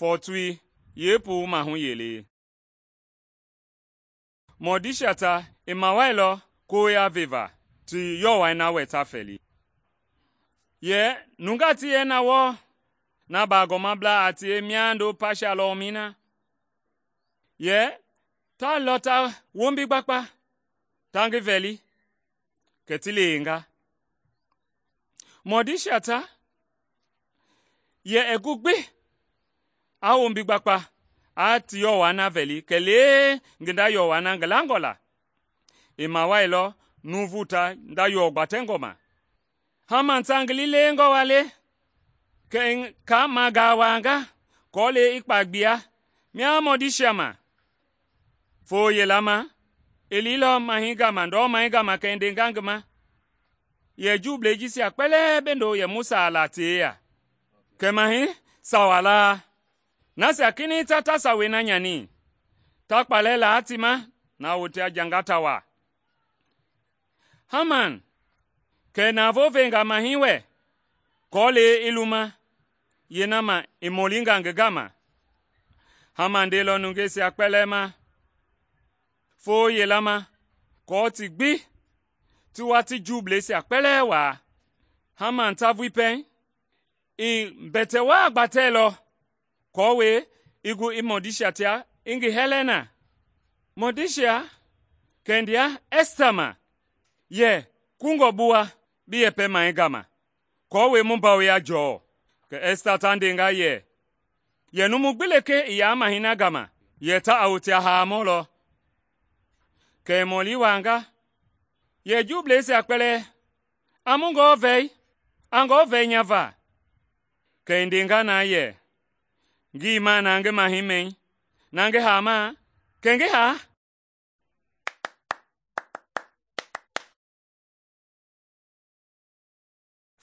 fɔɔtoi yeepuu maahu yelei. Mɔdisia ta i mawailɔ koya veva ti yɔwɔi na wɛ ta fɛli. Yɛ nungaa ti yɛ na wɔɔ na baagɔmablaa a tie miando Pasha lɔmɛi na. Yɛ ta lɔ ta wombi gbakpa ta ngi vɛli, kɛ ti lewenga. Mɔdisia ta yɛ gu gbi a wombi gbakpa a ti yɔwɔi na vɛli kɛlee ngi nda yɔwɔi na ngi langɔ la. I mawailɔ nuuvu ta nda yɔ gbatɛngɔ ma. Haman ta ngi lilewengɔ wa le, kɛ i kaa magaawanga kɔɔle i kpa gbia mia mɔdisia ma. Foo yela ma, i liilɔ mahɛi gama, ndɔmai gama kɛ i ndenga ngi ma, yɛ Juublei jisia kpɛlɛɛ bendo yɛ Musa a la ti yeya. Kɛ mahɛi sawa laa, nasia kinɛiŋ ta sawei na nyani, ta kpalɛ laa ti ma na wote a janga ta wa. Haman kɛ navoo venga mahɛi wɛ kɔɔle i luma yeena ma i mɔlinga ngi gama. Haman ndeilɔ nungeisia kpɛlɛɛ ma foo yela ma kɔɔ ti gbi ti wa ti Juubleisia kpɛlɛɛ waa. Haman ta vui pɛiŋ i mbɛtɛ waa gbatɛilɔ kɔɔwe i gu i Mɔdisia tia i ngi hɛlɛ na. Mɔdisia kɛ ndea Ɛsta ma, yɛ kungɔ bi wa bi yɛpɛmai gama, kɔɔwe mu bawoya jɔɔ. Kɛ Ɛsta ta ndenga yɛ numu gbi lekee i yaa mahɛi na gama, yɛ ta a wote a haamɔ lɔ. Kɛ i mɔli waanga, yɛ Juubleisia kpɛlɛɛ, a mu ngɔɔ vɛi? A ngɔɔ vɛi nya va? Kɛ i ndenga na yɛ, ngii ma na ngi mahɛi mɛi, na ngi haamaa, kɛ ngi haa.